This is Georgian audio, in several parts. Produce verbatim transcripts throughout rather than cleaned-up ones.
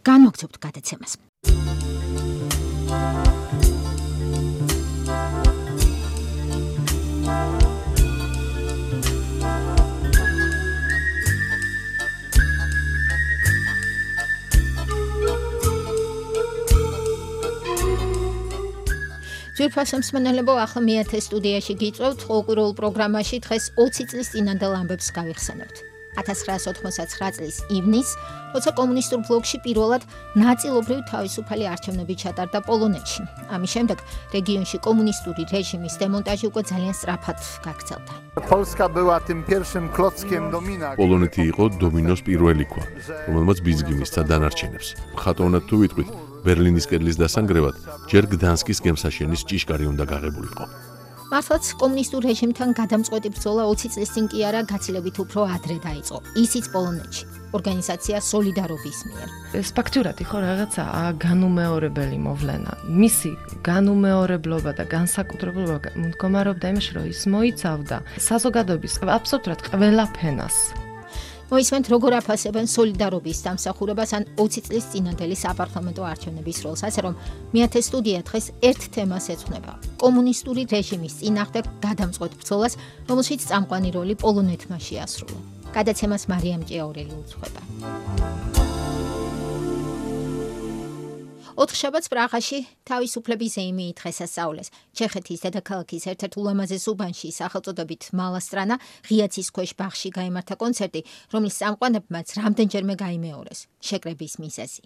განვაგრძობთ გადაცემას. ძვირფასო მსმენელებო, ახლა მეათე სტუდიაში გიწევთ ყოველკვირეულ პროგრამაში დღეს ოცი წლის წინანდელ ამბებს გავიხსენებთ. ათას ცხრაასი ოთხმოცდათცხრა წლის ივნისს, როცა კომუნისტურ ბლოკში პირველად ნაწილობრივ თავისუფალი არჩევნები ჩატარდა პოლონეთში. ამის შემდეგ რეგიონში კომუნისტური რეჟიმის დემონტაჟი უკვე ძალიან სწრაფად გაგრძელდა. Polska była tym pierwszym klockiem domina. პოლონეთი იყო დომინოს პირველი ქვა, რომელმაც ბიზგი მისცა დანარჩენებს. ხატოვნად თუ ვიტყვით, ბერლინის კედლის დასანგრევად ჯერ გდანსკის გემსაშენის ჭიშკარი უნდა გაღებულიყო. მართლაც კომუნისტურ რეჟიმთან გადამწყვეტი ბრძოლა ოცი წლის წინ კი არა, გაცილებით უფრო ადრე დაიწყო. ისიც პოლონეთში, ორგანიზაცია სოლიდარობის მიერ. ეს ფაქტურად იყო რაღაცა განუმეორებელი მოვლენა. მისი განუმეორებლობა და განსაკუთრებულობა მდგომარეობდა იმაში, რომ ის მოიცავდა საზოგადოების აბსოლუტურად ყველა ფენას. მოისმენთ, როგორ აფასებენ სოლიდარობის დამსახურებას ან ოცი წლის წინანდელი საპარლამენტო არჩევნების როლს, ასე რომ მეათე სტუდია დღეს ერთ თემას ეძღვნება: კომუნისტური რეჟიმის წინააღმდეგ გადამწყვეტ ბრძოლას, რომელშიც წამყვანი როლი პოლონეთმა შეასრულა. გადაცემას მარიამ ჭიაურელი უძღვება. ოთხშაბათს პრაღაში თავისუფლების ზეიმი დღესასწაულეს. ჩეხეთის დედაქალაქის ერთ-ერთ ულამაზეს უბანში სახელწოდებით მალასტრანა ღიაცის ქვეშ ბაღში გაიმართა კონცერტი, რომლის წამყვანებმაც რამდენჯერმე გაიმეორეს შეკრების მიზეზი.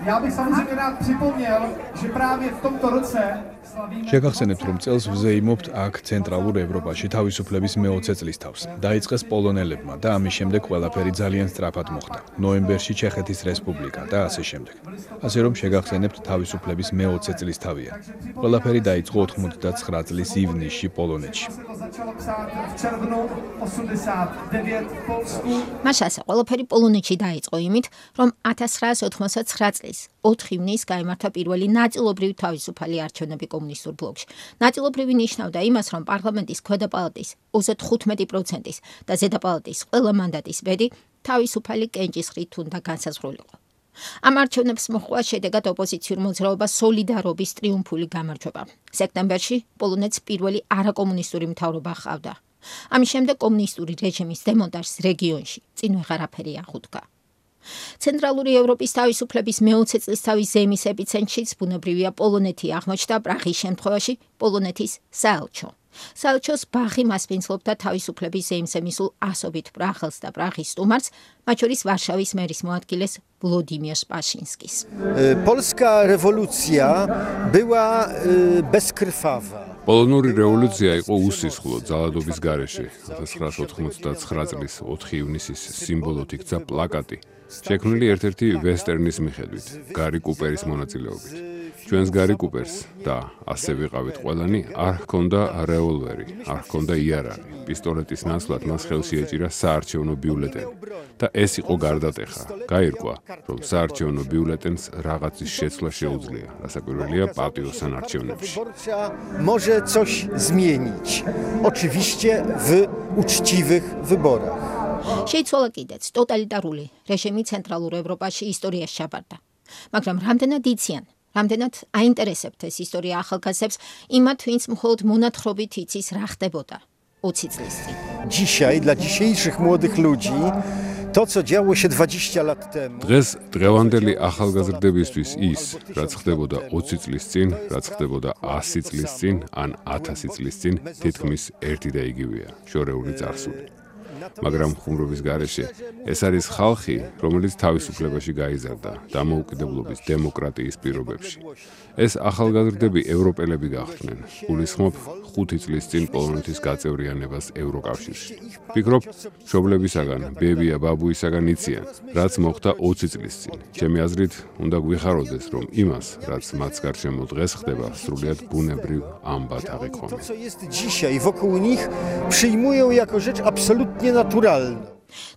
Já bych samozřejmě rád připomněl, že právě v tomto roce შეგახსენებთ, რომ წელს ვზეიმობთ აქ ცენტრალურ ევროპაში თავისუფლების მეოცე წლისთავს. დაიწყეს პოლონელებმა და ამის შემდეგ ყველაფერი ძალიან სწრაფად მოხდა. ნოემბერში ჩეხეთის რესპუბლიკა და ასე შემდეგ. ასე რომ შეგახსენებთ თავისუფლების მეოცე წლისთავია. ყველაფერი დაიწყო ოთხმოცდაცხრა წლის ივნისში პოლონეთში. მაშასა ყველაფერი პოლონეთში დაიწყო იმით, რომ ათას ცხრაასი ოთხმოცდაცხრა წლის ოთხ ივნისს გაიმართა პირველი ნაწილობრივი თავისუფალი არჩევნები კომუნისტურ ბლოკში. ნაწილობრივი ნიშნავდა იმას, რომ პარლამენტის ქვედა პალატის ოცდათხუთმეტი პროცენტის და ზედა პალატის ყველა მანდატის ბედი თავისუფალი კენჭისყრით უნდა განსაზღვრულიყო. ამ არჩევნებს მოჰყვა შედეგად ოპოზიციურ მოძრაობას სოლიდარობის ტრიუმფული გამარჯვება. სექტემბერში პოლონეთს პირველი არაკომუნისტური მთავრობა ჰყავდა. ამის შემდეგ კომუნისტური რეჟიმის დემონტაჟს რეგიონში წინ ვეღარაფერი აღუდგა. ცენტრალური ევროპის თავისუფლების მეოცე წლისთავის ზეიმის ეპიცენტრშიც ბუნებრივია პოლონეთი აღმოჩნდა, პრაღის შემთხვევაში პოლონეთის საელჩო. საელჩოს ბაღი მასპინძლობდა თავისუფლების ზეიმზე მისულ ასობით პრაღელს და პრაღის სტუმარს, მათ შორის ვარშავის მერის მოადგილეს ვლოდიმირ სპაშინსკის. Polska rewolucja była bezkrwawa. პოლონური რევოლუცია იყო უსისხლო ძალადობის გარეშე. ათას ცხრაასი ოთხმოცდაცხრა წლის ოთხი ივნისის სიმბოლოდ იქცა პლაკატი, შექმნილი ერთ-ერთი ვესტერნის მიხედვით, გარი კუპერის მონაწილეობით. ჩვენს გარი კუპერს და ასე ვიყავით ყველანი, არ ჰქონდა რევოლვერი, არ ჰქონდა იარაღი. პისტოლეტის ნაცვლად მას ხელში ეჭირა საარჩევნო ბიულეტენი და ეს იყო გარდატეხა. გაირკვა, რომ საარჩევნო ბიულეტენს რაღაცის შეცვლა შეუძლია, რასაკვირველია პატიოსან არჩევნებში. Może coś zmienić. Oczywiście w uczciwych wyborach. შეიცვალა კიდეც ტოტალიტარული რეჟიმი ცენტრალურ ევროპაში ისტორიაში ჩაბარდა. მაგრამ რამდენად იციან, რამდენად აინტერესებთ ეს ისტორია ახალგაზრდებს, იმათ, ვინც მხოლოდ მონათხრობით იცის რა ხდებოდა ოცი წლის წინ. Dzisiaj dla dzisiejszych młodych ludzi to, co działo się dwadzieścia lat temu. დღეს დღევანდელი ახალგაზრდებისთვის ის, რაც ხდებოდა ოცი წლის წინ, რაც ხდებოდა ასი წლის წინ, ან ათასი წლის წინ, თითქმის ერთი და იგივეა, შორეული წარსული. მაგრამ ხუმრობის გარეშე ეს არის ხალხი, რომელიც თავისუფლებაში გაიზარდა დამოუკიდებლობის დემოკრატიის პირობებში. ეს ახალგაზრდები ევროპელები გახდნენ. გულისხმობ ხუთი წლის წინ პოლონეთის გაწევრიანებას ევროკავშირში. ვფიქრობ, მშობლებისაგან, ბებია ბაბუისაგან იციან, რაც მოხდა ოცი წლის წინ. ჩემი აზრით, უნდა გვიხაროდეს, რომ იმას, რაც მათ გარშემო დღეს ხდება, სრულიად ბუნებრივ ამბად აღიქვამენ. To, co jest dzisiaj wokół nich, przyjmują jako rzecz absolutnie naturalną.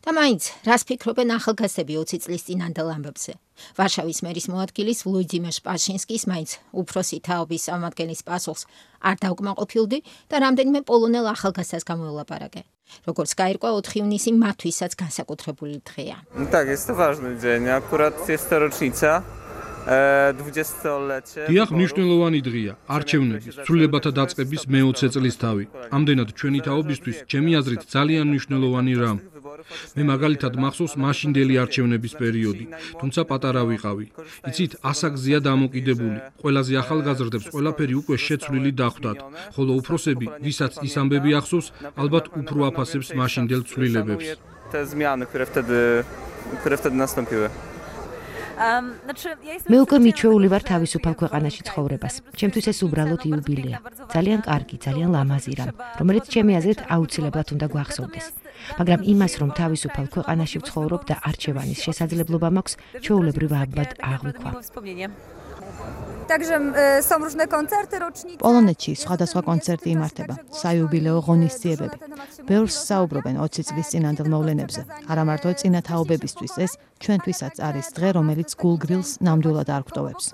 და მაინც რას ფიქრობენ ახალგაზრდები ოცი წლის წინანდელ ამბებზე? ვარშავის მერის მოადგილის ვლოდიმერ სპაშინსკის მაინც უფროსი თაობის წარმომადგენლის პასუხს არ დავკმაყოფილდი და რამდენიმე პოლონელ ახალგაზრდას გამოველაპარაკე. Როგორც გაირკვა, ოთხი ივნისი მათთვისაც განსაკუთრებული დღეა. Tak, jest to ważny dzień. Akurat jest to rocznica. დიახ, მნიშვნელოვანი დღეა, არჩევნების, ცვლილებათა დაწყების მეოცე წლისთავი. ამდენად ჩვენი თაობისთვის, ჩემი აზრით, ძალიან მნიშვნელოვანი რამ. მე მაგალითად მახსოვს მაშინდელი არჩევნების პერიოდი, თუმცა პატარა ვიყავი. იცით, ასაკზეა დამოკიდებული. ყველაზე ახალგაზრდებს ყველაფერი უკვე შეცვლილი დახვდათ, ხოლო უფროსები, ვისაც ის ამბები ახსოვს, ალბათ უფრო აფასებს მაშინდელ ცვლილებებს. Te zmiany, które wtedy, które wtedy nastąpiły. მე უკვე მიჩვეული ვარ თავისუფალ ქვეყანაში ცხოვრებას. ჩემთვის ეს უბრალოდ იუბილეა. ძალიან კარგი, ძალიან ლამაზი რამ, რომელიც ჩემი აზრით აუცილებლად უნდა გვახსოვდეს. მაგრამ იმას, რომ თავისუფალ ქვეყანაში ვცხოვრობ და არჩევანის შესაძლებლობა მაქვს, ჩვეულებრივ აბად აღვიქვა. პოლონეთში სხვადასხვა კონცერტი იმართება, საიუბილეო ღონისძიებები. ბევრს საუბრობენ ოცი წლის წინანდელ მოვლენებზე. არა მარტო წინა თაობებისთვის, ეს ჩვენთვისაც არის დღე, რომელიც გულგრილს ნამდვილად არ გვტოვებს.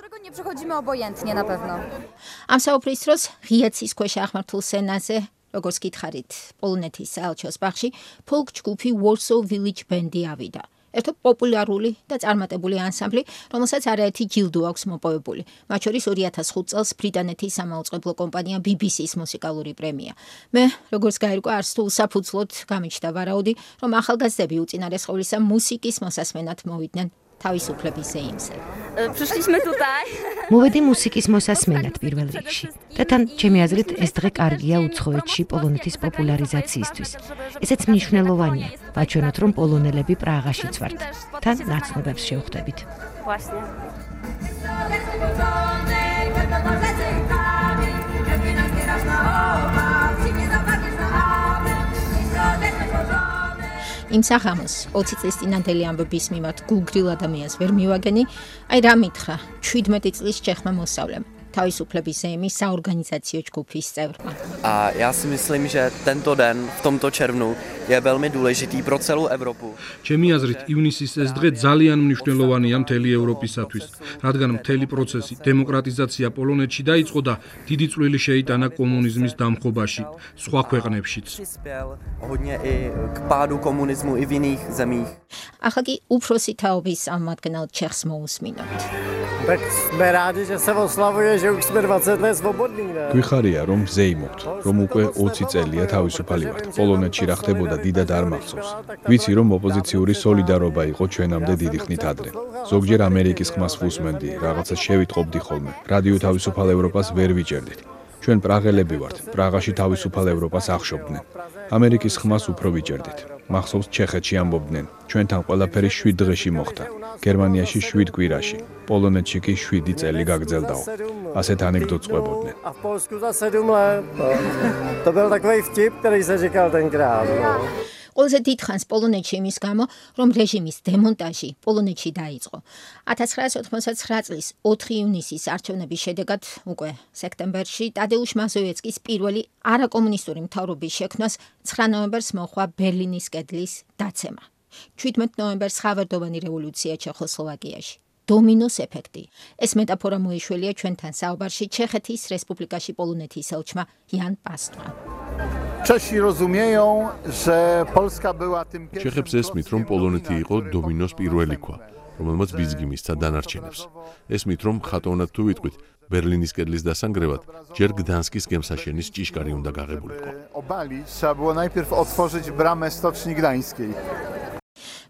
ამ საუბრის დროს ღია ცის ქვეშ აღმართულ სცენაზე, როგორც გითხარით, პოლონეთის საელჩოს ბაღში ფოლკ ჯგუფი Warsaw Village Band-ი ავიდა. ერთო პოპულარული და წარმატებული ანსამბლი, რომელსაც არაერთი ჯილდო აქვს მოპოვებული. მათ შორის ორი ათას ხუთ წელს ბრიტანეთის სამაუწყებლო კომპანია B B C-ის მუსიკალური პრემია. მე, როგორც გაირკვა, არც თუ უსაფუძვლოდ გამიჩნდა ვარაუდი, რომ ახალგაზრდები უწინარესყოვლისა მუსიკის მოსასმენად მოვიდნენ თავისუფლების ზეიმზე. მოვედი მუსიკის მოსასმენად პირველ რიგში. და თან, ჩემი აზრით, ეს დღე კარგია უცხოეთში პოლონეთის პოპულარიზაციისთვის. ესეც მნიშვნელოვანია, ვაჩვენოთ, რომ პოლონელები პრაღაშიც ვართ. თან ნაცნობებს შევხვდებით. იმ საღამოს ოცი წლის წინანდელი ამბების მიმართ გულგრილ ადამიანს ვერ მივაგენი, აი რა მითხრა შვიდმეტი წლის ჩეხმა მოსწავლემ, თავისუფლების ზეიმის საორგანიზაციო ჯგუფის წევრმა. A já si myslím, že tento den v tomto červnu je velmi důležitý pro celou Evropu. ჩემი აზრით, ივნისის ეს დღე ძალიან მნიშვნელოვანია მთელი ევროპისათვის, რადგან მთელი პროცესი დემოკრატიზაცია პოლონეთში დაიწყო და დიდი წვლილი შეიტანა კომუნიზმის დამხობაში, სხვა ქვეყნებშიც. Hodně i k pádu komunismu i v jiných zemích. ახლა კი უფროსი თაობის წარმომადგენელ ჩეხს მოусმინოთ. Tak jsme rádi, že se oslavuje, že už jsme dvacet let svobodní, ne? გვიხარია, რომ ზეიმობთ, რომ უკვე ოცი წელია თავისუფალი ვართ. პოლონეთში რა ხდებოდა დიდად არ მახსოვს. ვიცი, რომ ოპოზიციური სოლიდარობა იყო ჩვენამდე დიდი ხნით ადრე. ზოგჯერ ამერიკის ხმას ვუსმენდი, რაღაცა შევიტყობდი ხოლმე. რადიო თავისუფალ ევროპას ვერ ვიჭერდით. ჩვენ პრაღელები ვართ, პრაღაში თავისუფალ ევროპას ახშობდნენ. ამერიკის ხმას უფრო ვიჭერდით. მახსოვს ჩეხეთში ამბობდნენ, ჩვენთან ყველაფერი შვიდ დღეში მოხდა. გერმანიაში შვიდ კვირაში, პოლონეთში კი შვიდი წელი გაგრძელდაო. ასეთ ანეკდოტს ყვებოდნენ. A v Polsku za sedm let. To byl takový vtip, který se říkal tenkrát. ყველაზე დიდ ხანს პოლონეთში იმის გამო, რომ რეჟიმის დემონტაჟი პოლონეთში დაიწყო. ათას ცხრაასი ოთხმოცდაცხრა წლის ოთხი ივნისის არჩევნების შედეგად უკვე სექტემბერში ტადეუშ მაზოვეცკის პირველი არაკომუნისტური მთავრობის შექმნას ცხრა ნოემბერს მოჰყვა ბერლინის კედლის დაცემა. შვიდმეტ ნოემბერს ხავერდოვანი რევოლუცია ჩეხოსლოვაკიაში. დომინოს ეფექტი. ეს მეტაფორა მოიშველია ჩვენთან საუბარში ჩეხეთის რესპუბლიკაში პოლონეთის ელჩმა იან პასტვამ. Czesi rozumieją, że Polska była tym ჩეხებს ესმით, რომ პოლონეთი იყო დომინოს პირველი ქვა, რომელმაც ბიძგი მისცა დანარჩენებს. ესმით, რომ ხატოვნად თუ ვიტყვით, ბერლინის კედლის დასანგრევად ჯერ გდანსკის გემსაშენის ჭიშკარი უნდა გაღებულიყო. obalić, trzeba było najpierw otworzyć bramę Stoczni Gdańskiej.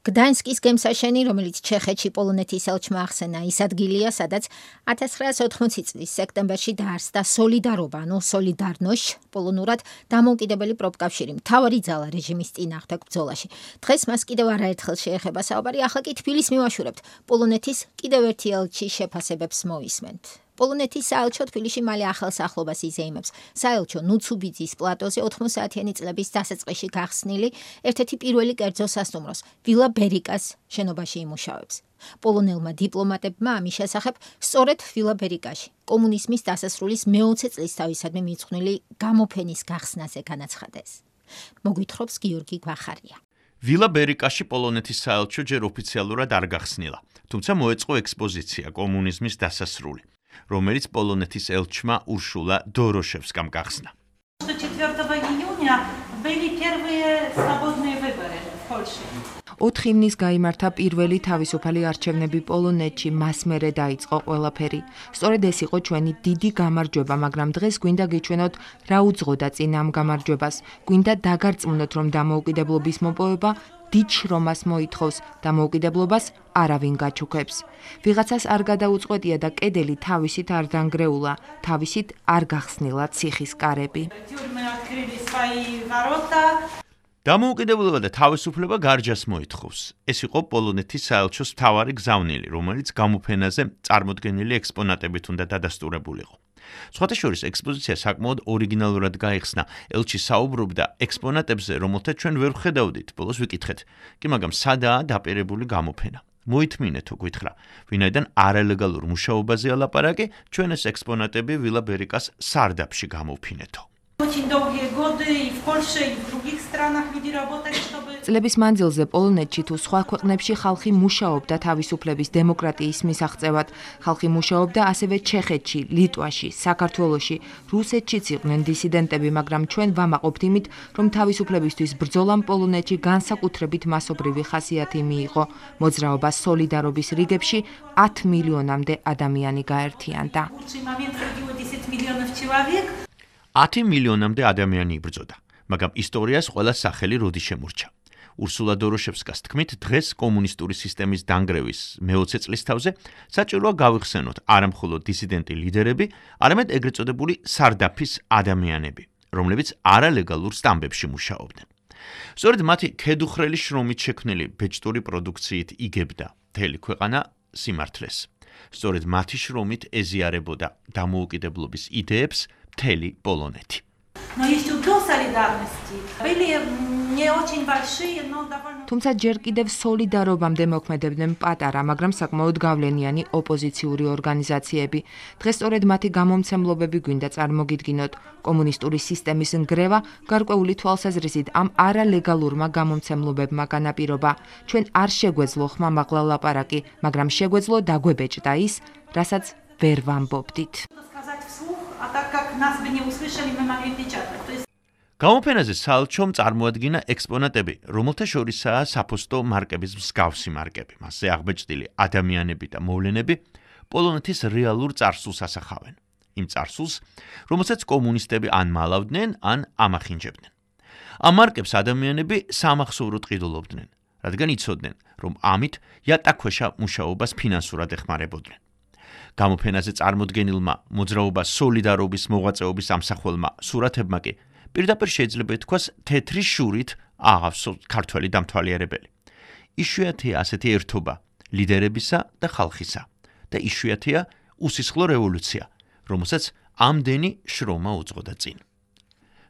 გდანსკის გემსაშენი, რომელიც ჩეხეთში პოლონეთის ელჩმა ახსენა, ის ადგილია, სადაც ათას ცხრაასი ოთხმოცი წლის სექტემბერში დაარსდა სოლიდარობა, ანუ სოლიდარნოშ, პოლონურად დამოუკიდებელი პროფკავშირი, მთავარი ძალა რეჟიმის წინააღმდეგ ბრძოლაში. დღეს მას კიდევ არაერთხელ შეეხება საუბარი, ახლა კი თბილისს მივაშურებთ პოლონეთის კიდევ ერთი ელჩის შეფასებებს მოვისმენთ. პოლონეთის საელჩო თბილისში მალე ახალ სახლობას იზეიმებს. საელჩო ნუცუბიძის პლატოზე ოთხმოცდაათიანი წლების დასაწყისში გახსნილი ერთ-ერთი პირველი კერძო სასტუმროს, ვილა ბერიკას შენობაში იმუშავებს. პოლონელმა დიპლომატებმა ამის შესახებ სწორედ ვილა ბერიკაში კომუნიზმის დასასრულის მეოცე წლისთავისადმი მიძღვნილი გამოფენის გახსნაზე განაცხადეს. მოგვითხრობს გიორგი გვახარია. ვილა ბერიკაში პოლონეთის საელჩო ჯერ ოფიციალურად არ გახსნილა, თუმცა მოეწყო ექსპოზიცია კომუნიზმის დასასრული, რომელიც პოლონეთის ელჩმა ურშულა დოროშევსკამ გახსნა. ოთხი ივნის გაიმართა პირველი თავისუფალი არჩევნები პოლონეთში, მას მერე დაიწყო ყველაფერი. სწორედ ეს იყო ჩვენი დიდი გამარჯვება, მაგრამ დღეს გვინდა გიჩვენოთ, რა უძღოდა წინ ამ გამარჯვებას. გვინდა დაგარწმუნოთ, რომ დამოუკიდებლობის მოპოვება დიდ შრომას მოითხოვს, დამოუკიდებლობას არავინ გაჩუქებს. ვიღაცას არ გადაუწყვეტია და კედელი თავისით არ დანგრეულა, თავისით არ გახსნილა ციხის კარები. დამოუკიდებლობა და თავისუფლება გარჯას მოითხოვს. ეს იყო პოლონეთის საელჩოს მთავარი გზავნილი, რომელიც გამოფენაზე წარმოდგენილი ექსპონატებით უნდა დადასტურებულიყო. სხვათა შორის ექსპოზიცია საკმაოდ ორიგინალურად გაიხსნა. ელჩი საუბრობდა ექსპონატებზე, რომელთა ჩვენ ვერ ვხედავდით, ბოლოს ვიკითხეთ. კი, მაგრამ სადაა დაპირებული გამოფენა? მოითმინეთო, გითხრა, ვინაიდან არალეგალურ მუშაობაზე ალაპარაკი, ჩვენ ეს ექსპონატები ვილა ბერიკას სარდაფში გამოვფინეთო. წლების მანძილზე პოლონეთში თუ სხვა ქვეყნებში ხალხი მუშაობდა თავისუფლების დემოკრატიის მისაღწევად. ხალხი მუშაობდა ასევე ჩეხეთში, ლიტვაში, საქართველოში, რუსეთშიც იყვნენ დისიდენტები, მაგრამ ჩვენ ვამაყობთ იმით, რომ თავისუფლებისთვის ბრძოლამ პოლონეთში განსაკუთრებით მასობრივი ხასიათი მიიღო. მოძრაობა სოლიდარობის რიგებში ათ მილიონამდე ადამიანი გაერთიანდა. ათი მილიონამდე ადამიანი იბრძოდა, მაგრამ ისტორიას ყველა სახელი როდი შემორჩა. ურსულა დოროშევსკას თქმით, დღეს კომუნისტური სისტემის დანგრევის მეოცე წლის თავზე საჭიროა გავიხსენოთ არა მხოლოდ დისიდენტი ლიდერები, არამედ ეგრეთ წოდებული სარდაფის ადამიანები, რომლებიც არალეგალურ სტამბებში მუშაობდნენ. სწორედ მათი ქედუხრელი შრომით შექმნილი ბეჭდური პროდუქციით იგებდა მთელი ქვეყანა სიმართლეს. სწორედ მათი შრომით ეზიარებოდა დამოუკიდებლობის იდეებს მთელი პოლონეთი. თუმცა ჯერ კიდევ სოლიდარობამდე მოქმედებდნენ პატარა, მაგრამ საკმაოდ გავლენიანი ოპოზიციური ორგანიზაციები. დღეს სწორედ მათი გამომცემლობები გვინდა წარმოგიდგინოთ. კომუნისტური სისტემის ნგრევა გარკვეული თვალსაზრისით ამ არალეგალურმა გამომცემლობებმა განაპირობა. ჩვენ არ შეგვეძლო ხმამაღლა ლაპარაკი, მაგრამ შეგვეძლო დაგვებეჭდა ის, რასაც ვერ ვამბობდით. გამოფენაზე საელჩომ წარმოადგინა ექსპონატები, რომელთა შორისაა საფოსტო მარკების მსგავსი მარკები. მასზე აღბეჭდილი ადამიანები და მოვლენები პოლონეთის რეალურ წარსულს ასახავენ. იმ წარსულს, რომელსაც კომუნისტები ან მალავდნენ, ან ამახინჯებდნენ. ამ მარკებს ადამიანები სამახსოვროდ ყიდულობდნენ, რადგან იცოდნენ, რომ ამით იატაკქვეშა მუშაობას ფინანსურად ეხმარებოდნენ. გამოფენაზე წარმოდგენილმა მოძრაობა სოლიდარობის მოღვაწეობის ამსახველმა სურათებმა კი პირდაპირ შეიძლება ითქვას თეთრი შურით აღავსოთ ქართველი დამთვალიერებელი. იშვიათია ასეთი ერთობა ლიდერებისა და ხალხისა და იშვიათია უსისხლო რევოლუცია, რომელსაც ამდენი შრომა უძღოდა წინ.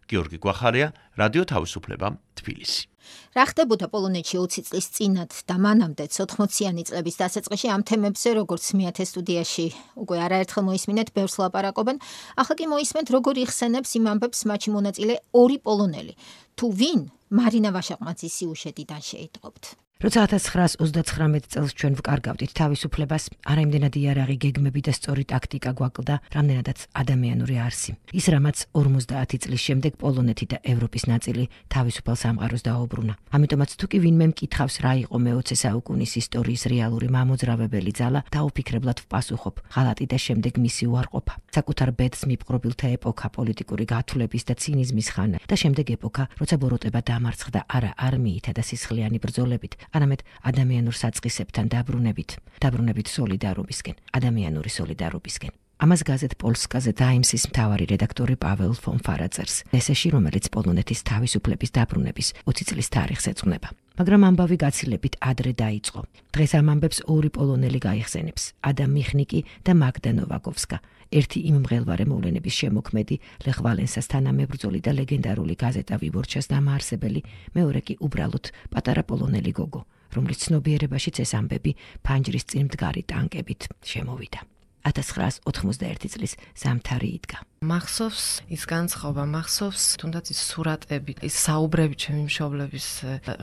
გიორგი გვახარია, რადიო თავისუფლება, თბილისი. რა ხდებოდა პოლონეთში ოცი წლის წინათ და მანამდეც ოთხმოციანი წლების დასაწყისში ამ თემებზე, როგორც მეათე სტუდიაში უკვე არაერთხელ მოისმინეთ, ბევრს ლაპარაკობენ. ახლა კი მოისმენთ, როგორ იხსენებს იმ ამბებს მათში მონაწილე ორი პოლონელი. თუ ვინ? მარინა ვაშაყმაძის სიუჟეტიდან შეიტყობთ. როცა ათას ცხრაას ოცდაცხრამეტ წელს ჩვენ ვკარგავდით თავისუფლებას, არა იმდენად იარაღი, გეგმები და სწორი ტაქტიკა გვაკლდა, რამდენადაც ადამიანური არსი. ის რამაც ორმოცდაათი წლის შემდეგ პოლონეთი და ევროპის ნაწილი თავისუფალ სამყაროს დაუბრუნა. ამიტომაც თუ კი ვინმე მკითხავს, რა იყო მეოცე საუკუნის ისტორიის რეალური მამოძრავებელი ძალა, დაუფიქრებლად ვპასუხობ, ღალატი და შემდეგ მისი უარყოფა. საკუთარ ბედს მიპყრობილთა ეპოქა, პოლიტიკური გათვლების და ცინიზმის ხანა და შემდეგ ეპოქა, როცა ბოროტება დამარცხდა არა არმიითა და სისხლიანი ბრძოლებით, არამედ ადამიანურ საწყისებთან დაბრუნებით, დაბრუნებით სოლიდარობისკენ, ადამიანური სოლიდარობისკენ. ამას გაზეთ პოლსკაზე ტაიმსის მთავარი რედაქტორი პაվել ფონ ფარაძერს, ესეში, რომელიც პოლონეთის თავისუფლების დაბრუნების ოცი წლის თარიღს ეძღვნება. მაგრამ ამბავი გაცილებით ადრე დაიწყო. დღეს ამ ამბებს ორი პოლონელი გაიხსენებს, ადამ მიხნიკი და მაგდა ნოვაკოვსკა. ერთი იმ მღელვარე მოვლენების შემოქმედი, ლეხ ვალენსას თანამებრძოლი და ლეგენდარული გაზეტა ვიბორჩას დამაარსებელი, მეორე კი უბრალოდ პატარა პოლონელი გოგო, რომლის ცნობიერებაშიც ეს ამბები ფანჯრის წინ მდგარი ტანკებით შემოვიდა. ათას ცხრაას ოთხმოცდაერთი წლის ზამთარი იდგა. მახსოვს ის განწყობა, მახსოვს თუნდაც ის სურატები, ის საუბრები ჩემი მშობლების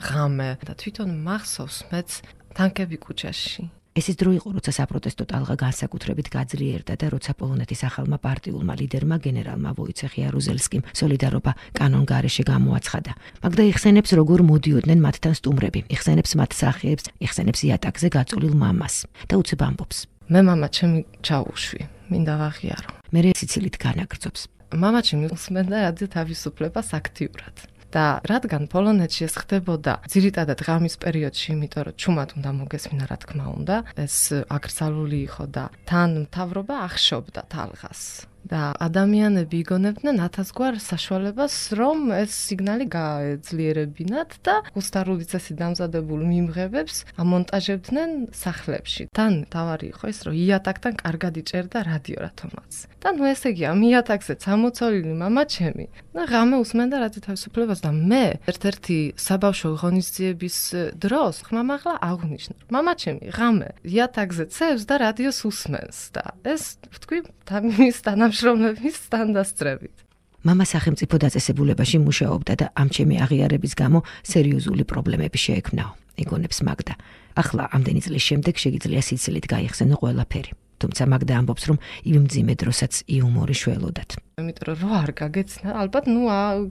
ღამე და თვითონ მახსოვს მეც თანკები კუჩაში. ეს ის დრო იყო, როცა საპროტესტო ტალღა განსაკუთრებით გაძლიერდა და როცა პოლონეთის ახალმა პარტიულმა ლიდერმა გენერალმა ვოიცეხ იარუზელსკიმ სოლიდარობა კანონგარეშე გამოაცხადა. მაგდა იხსენებს, როგორ მოდიოდნენ მათთან სტუმრები, იხსენებს მათ სახეებს, იხსენებს იატაკზე გაწოლილ მამას და უცებ ამბობს. მე მამა ჩემი ჩაუშვი, მინდა ვაღიარო. მერე სიცილით განაგრძობს. მამა ჩემი უსმენდა რადიო თავისუფლებას აქტიურად. და რადგან პოლონეთში ეს ხდებოდა ძირითადად ღამის პერიოდში, იმიტომ რომ ჩუმად უნდა მოგესმინა, რა თქმა უნდა, ეს აკრძალული იყო და თან მთავრობა ახშობდა ტალღას. და ადამიანები იგონებდნენ ათასგვარ საშუალებას, რომ ეს სიგნალი გაეძლიერებინათ და გუსტარული წესით დამზადებულ მიმღებებს ამონტაჟებდნენ სახლებში. თან თავარი იყო ის, რომ იატაკთან კარგად იჭერდა რადიო რათომაც. და ნუ ესე იგი, ამ იატაკზეც ამოცოლილი მამა ჩემი. და ღამე უსმენდა რადიო თავისუფლებას და მე ერთ-ერთი საბავშვო ღონისძიების დროს ხმამაღლა აღვნიშნე. მამა ჩემი ღამე იატაკზე ცევს და რადიოს უსმენს და ეს ვთქვი თავის თანამშრომლების სტანდარტებით. მამა სახელმწიფო დაწესებულებაში მუშაობდა და ამ ჩემი აღიარების გამო სერიოზული პრობლემები შეექმნაო. იგონებს მაგდა. ახლა ამდენი წლის შემდეგ შეგიძლია სიცილით გაიხსენო ყველაფერი. თუმცა მაგდა ამბობს, რომ იმ მძიმე დროსაც იუმორი შველოდათ. იმიტომ რომ რო არ გაგეცნა, ალბათ ნუ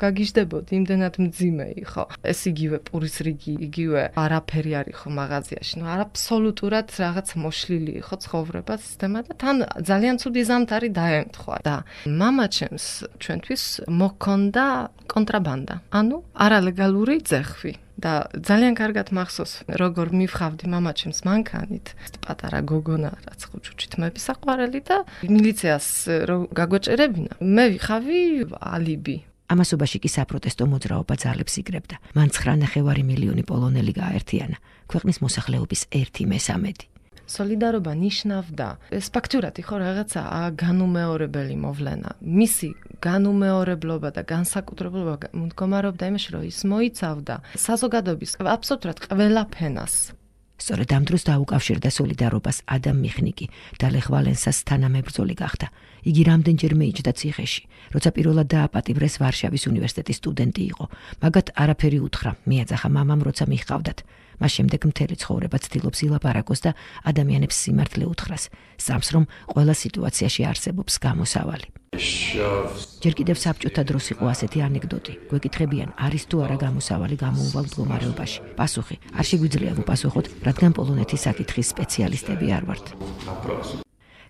გაგიჟდებოდი, იმდენად მძიმე იყო. ეს იგივე პურის რიგი, იგივე არაფერი არ იყო მაღაზიაში. ნუ აბსოლუტურად რაღაც მოშლილი იყო ცხოვრება, სისტემა და თან ძალიან ცუდი ზამთარი დაემთხვა. და მამა ჩემს ჩვენთვის მოქონდა კონტრაბანდა. ანუ არალეგალური ძეხვი. და ძალიან კარგად მახსოვს, როგორ მივხავდი მამა ჩემს მანქანით, პატარა გოგონა, რაც ხუჩუჩით მებისაყვარელი და მილიციას რო გაგვეჭერებინა, მე ვიხავი ალიბი. ამასობაში კი საპროტესტო მოძრაობა ძალებს იგრებდა. მან ცხრა ნახევარი მილიონი პოლონელი გააერთიანა, ქვეყნის მოსახლეობის ერთი მესამედი. სოლიდარობა ნიშნავდა ეს ფაქტურად იყო რაღაცა განუმეორებელი მოვლენა. მისი განუმეორებლობა და განსაკუთრებულობა მდგომარეობდა იმაში, რომ ის მოიცავდა საზოგადოების აბსოლუტურად ყველა ფენას. სწორედ ამ დროს დაუკავშირდა სოლიდარობას ადამ მიხნიკი და ლეხ ვალენსას თანამებრძოლი გახდა. იგი რამდენჯერმე იჯდა ციხეში, როცა პირველად დააპატიმრეს ვარშავის უნივერსიტეტის სტუდენტი იყო. მაგათ არაფერი უთხრა, მიაძახა მამამ, როცა მიჰყავდათ. მას შემდეგ მთელი ცხოვრება ცდილობს ილაპარაკოს და ადამიანებს სიმართლე უთხრას, სამს რომ ყველა სიტუაციაში არსებობს გამოსავალი. ჯერ კიდევ საბჭოთა დროს იყო ასეთი ანეკდოტი. გვეკითხებიან, არის თუ არა გამოსავალი გამოუვალ მდგომარეობაში. პასუხი: არ შეგვიძლია ვუპასუხოთ, რადგან პოლონეთის საკითხის სპეციალისტები არ ვართ.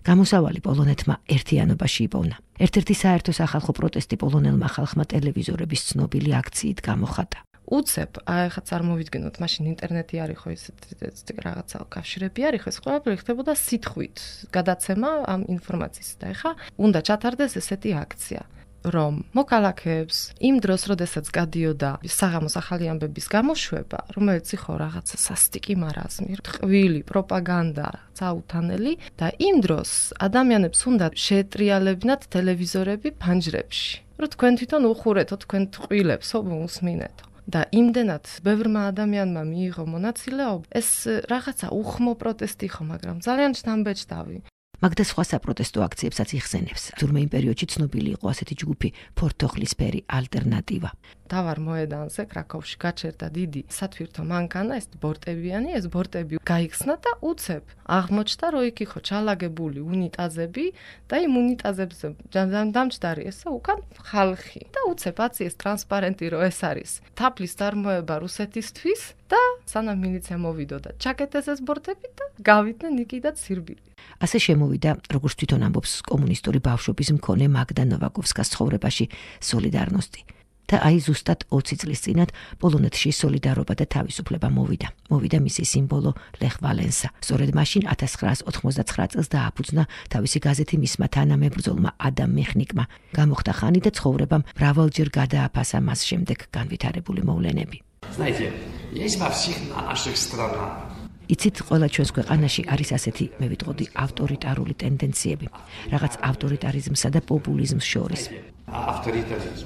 გამოსავალი პოლონეთმა ერთიანობაში იპოვნა. ერთ-ერთი საერთო სახალხო პროტესტი პოლონელმა ხალხმა ტელევიზორების ცნობილი აქციით გამოხატა. უცებ, აი ხა წარმოვიდგინოთ, მაშინ ინტერნეტი არ იყო, ესეთი რაღაცა კავშირები არ იყო, ეს ყველაფერი ხდებოდა სიტყვით, გადაცემა ამ ინფორმაციის და ეხა უნდა ჩათარდეს ესეთი აქცია, რომ მოქალაქეებს იმ დროს, როდესაც გადიოდა საღამოს ახალი ამბების გამოშვება, რომელიც იყო რაღაცა სასტიკი მარაზმი, ტყვილი პროპაგანდა, წაუთანელი და იმ დროს ადამიანებს უნდა შეეტრიალებინათ ტელევიზორები ფანჯრებში, რომ თქვენ თვითონ უხურეთო თქვენ ტყვილებს, უსმინეთო. და იმდენად ბევრმა ადამიანმა მიიღო მონაწილეობა, ეს რაღაცა უხმო პროტესტი იყო, მაგრამ ძალიან შთამბეჭდავი. მაგდა სხვა საპროტესტო აქციებსაც იხსენებს. თურმე იმ პერიოდში ცნობილი იყო ასეთი ჯგუფი ფორთოხლისფერი ალტერნატივა. დავარ მოედანზე კრაკოვში გაჩერდა დიდი სათვირთო მანქანა, ეს ბორტებიანი, ეს ბორტები გაიხსნა და უცებ აღმოჩნდა, რომ იქ იყო ჩალაგებული უნიტაზები და იმ უნიტაზებზე დამჯდარი ესე უკან ხალხი. და უცებ აციეს ტრანსპარენტი, რომ ეს არის თაფლის წარმოება რუსეთისთვის და სანამ მილიცია მოვიდოდა, ჩაკეტეს ეს ბორტები და გავიდნენ იქიდან ცირბილი. ასე შემოვიდა, როგორც თვითონ ამბობს კომუნისტური ბავშვობის მქონე მაგდა ნოვაკოვსკას ცხოვრებაში სოლიდარნოსტი. და აი ზუსტად ოცი წლის წინათ პოლონეთში სოლიდარობა და თავისუფლება მოვიდა. მოვიდა მისი სიმბოლო ლეხ ვალენსა. სწორედ მაშინ ათას ცხრაას ოთხმოცდაცხრა წელს დააფუძნა თავისი გაზეთი მისმა თანამებრძოლმა ადამ მიხნიკმა. გამოხდა ხანი და ცხოვრებამ მრავალჯერ გადააფასა მას შემდეგ განვითარებული მოვლენები. Знаете, есть во всех наших странах. იცით, ყველა ჩვენს ქვეყანაში არის ასეთი, მე ვიტყოდი, ავტორიტარული ტენდენციები, რაღაც ავტორიტარიზმსა და პოპულიზმს შორის. Авторитаризм.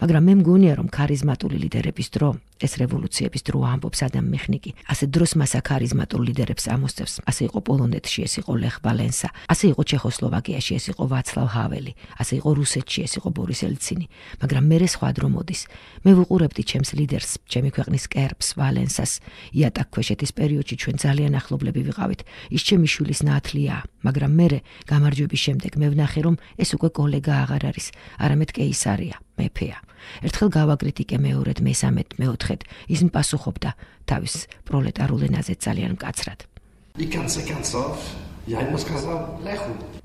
მაგრამ მე მგონია, რომ ქარიზმატული ლიდერების დრო ეს რევოლუციების დრო ამბობს ადამ მიხნიკი. ასე დროს მას ქარიზმატულ ლიდერებს ამოსწევს. ასე იყო პოლონეთში, ეს იყო ლეხ ვალენსა, ასე იყო ჩეხოსლოვაკიაში, ეს იყო ვაცლავ ჰაველი, ასე იყო რუსეთში, ეს იყო ბორის ელცინი. მაგრამ მე სხვა დრო მოდის. მე ვუყურებდი ჩემს ლიდერს, ჩემი ქვეყნის კერპს, ვალენსას. იატაკ ქვეშეთის პერიოდში ჩვენ ძალიან ახლობლები ვიყავით. ის ჩემი შვილის ნათლიაა, მაგრამ მე გამარჯვების შემდეგ მე ვნახე, რომ ეს უკვე კოლეგა აღარ არის, არამედ კეისარია, მეფეა. ერთხელ გავაკრიტიკე მეორედ, მესამედ, მეოთხედ, ის მპასუხობდა თავის პროლეტარულ ენაზე ძალიან მკაცრად.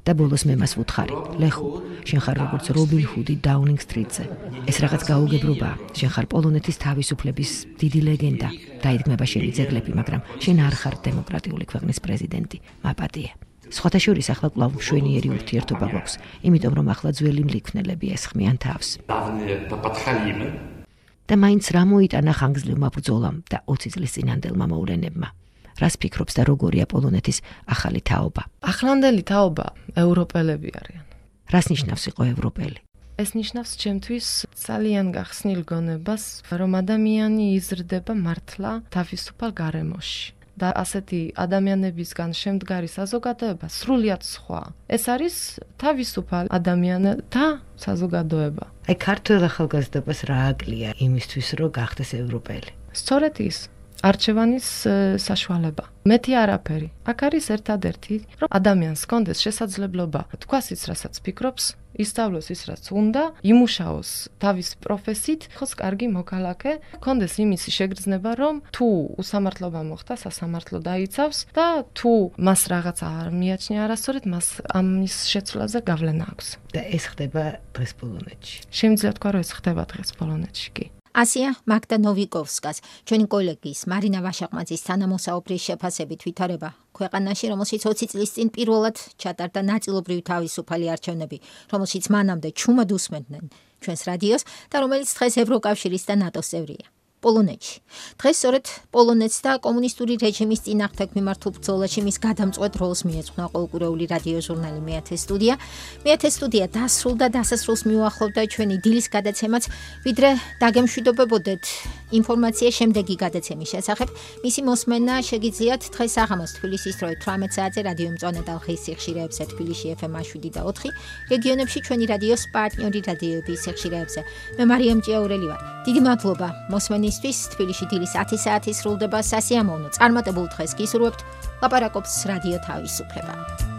და ბოლოს მე მას ვუთხარი, ლეხუ, შენ ხარ როგორც რობინ ჰუდი დაუნინგ სტრიტზე. ეს რაღაც გაუგებრობაა. შენ ხარ პოლონეთის თავისუფლების დიდი ლეგენდა. დაიდგმება შენი ძეგლები, მაგრამ შენ არ ხარ დემოკრატიული ქვეყნის პრეზიდენტი. მაპატიე. სხვათა შორის ახლა კვლავ მშვენიერი ურთიერთობა გვაქვს, იმიტომ რომ ახლა ძველი მლიქვნელები ესხმიან თავს. და მაინც რა მოიტანა ხანგრძლივმა ბრძოლამ და ოცი წლის წინანდელმა მოვლენებმა. რას ფიქრობს და როგორია პოლონეთის ახალი თაობა? ახლანდელი თაობა ევროპელები არიან. რას ნიშნავს იყო ევროპელი? ეს ნიშნავს ჩემთვის ძალიან გახსნილ გონებას, რომ ადამიანი იზრდება მართლა თავისუფალ გარემოში. და ასეთი ადამიანებისგან შემდგარი საზოგადოება სრულიად სხვა. ეს არის თავისუფალ ადამიანთა საზოგადოება. აი ქართულ ახალგაზრდობას რა აკლია იმისთვის, რომ გახდეს ევროპელი? სწორედ ის არჩევანის საშუალება. მეტი არაფერი. აქ არის ერთადერთი, რომ ადამიანს ჰქონდეს შესაძლებლობა თქვას ის, რასაც ფიქრობს, ისწავლოს ის, რაც უნდა, იმუშაოს თავის პროფესიით, იყოს კარგი მოქალაქე, ჰქონდეს იმისი შეგრძნება, რომ თუ უსამართლობა მოხდა, სასამართლო დაიცავს და თუ მას რაღაცა არ მიაჩნია არასწორად, მას ამის შეცვლაზე გავლენა აქვს. და ეს ხდება დღეს პოლონეთში. შემიძლია თქვა, რომ ეს ხდება დღეს პოლონეთში კი. ასია მაგდა ნოვიკოვსკას, ჩვენი კოლეგის მარინა ვაშაყმაძის თანამოსაუბრის შეფასებით ვითარება ქვეყანაში, რომელშიც ოცი წლის წინ პირველად ჩატარდა ნაწილობრივი თავისუფალი არჩევნები, რომელშიც მანამდე ჩუმად უსმენდნენ ჩვენს რადიოს და რომელიც დღეს ევროკავშირის და ნატოს წევრია. პოლონეთში. დღეს სწორედ პოლონეთს და კომუნისტური რეჟიმის წინააღმდეგ მიმართულ ბრძოლაში მის გადამწყვეტ როლს მიეძღვნა ყოველკვირეული რადიო ჟურნალი მეათე სტუდია. მეათე სტუდია დასრულდა, დასასრულს მიუახლოვდა ჩვენი დილის გადაცემაც, ვიდრე დაგემშვიდობებოდეთ ინფორმაცია შემდეგი გადაცემის შესახებ. მისი მოსმენა შეგიძლიათ დღეს საღამოს თბილისის დროით თვრამეტ საათზე რადიო მწვანე და ხის სიხშირეებზე თბილისში ეფ ემ შვიდი და ოთხი, რეგიონებში ჩვენი რადიოს პარტნიორი რადიოების სიხშირეებზე. მე მარიამ ჭიაურელი ვარ. დიდი მადლობა მოსმენის თბილისში დილის ათი საათი სრულდება სასიამოვნო წარმატებულ დღეს გისურვებთ. ლაპარაკობს რადიო თავისუფლება.